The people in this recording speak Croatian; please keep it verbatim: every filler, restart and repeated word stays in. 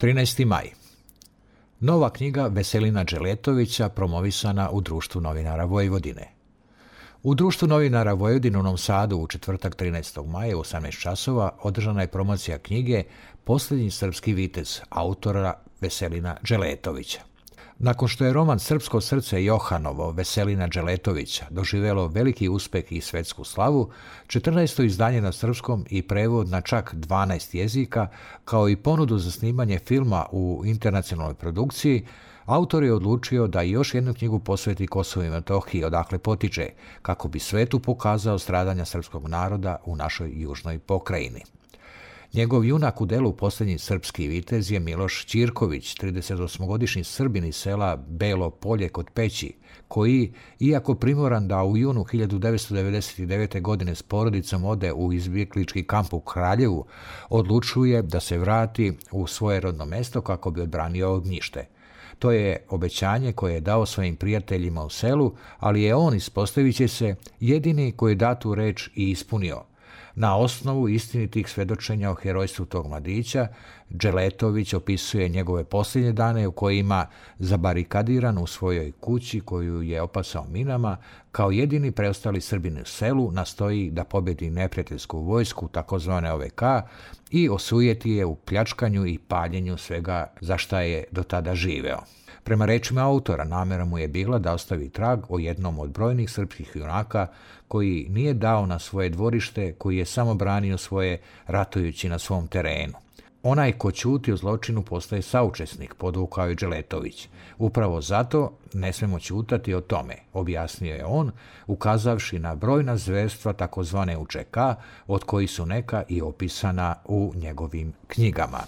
trinaesti maj. Nova knjiga Veselina Dželetovića promovisana u Društvu novinara Vojvodine. U Društvu novinara Vojvodine u Novom Sadu u četvrtak trinaestog maja u osamnaest časova održana je promocija knjige Posljednji srpski vitez autora Veselina Dželetovića. Nakon što je roman Srpsko srce Johanovo Veselina Dželetovića doživjelo veliki uspeh i svetsku slavu, četrnaesto izdanje na srpskom i prevod na čak dvanaest jezika, kao i ponudu za snimanje filma u internacionalnoj produkciji, autor je odlučio da još jednu knjigu posveti Kosovu i Metohiji, odakle potiče, kako bi svetu pokazao stradanja srpskog naroda u našoj južnoj pokrajini. Njegov junak u delu Posljednji srpski vitez je Miloš Ćirković, tridesetosmogodišnji Srbin iz sela Belo Polje kod Peći, koji, iako primoran da u junu hiljadu devetsto devedeset devete. godine s porodicom ode u izbjeglički kamp u Kraljevu, odlučuje da se vrati u svoje rodno mesto kako bi odbranio ognjište. To je obećanje koje je dao svojim prijateljima u selu, ali je on, ispostavit će se, jedini koji je datu reč i ispunio. Na osnovu istinitih svedočenja o herojstvu tog mladića, Dželetović opisuje njegove posljednje dane u kojima, zabarikadiran u svojoj kući koju je opasao minama, kao jedini preostali Srbin u selu nastoji da pobjedi neprijateljsku vojsku, takozvane O V K, i osujeti je u pljačkanju i paljenju svega za šta je do tada živeo. Prema rečima autora, namjera mu je bila da ostavi trag o jednom od brojnih srpskih junaka koji nije dao na svoje dvorište, koji je samo branio svoje ratujući na svom terenu. Onaj ko ćuti o zločinu postaje saučesnik, podvukao je Dželetović. Upravo zato ne smemo ćutati o tome, objasnio je on, ukazavši na brojna zverstva takozvane U Č K, od kojih su neka i opisana u njegovim knjigama.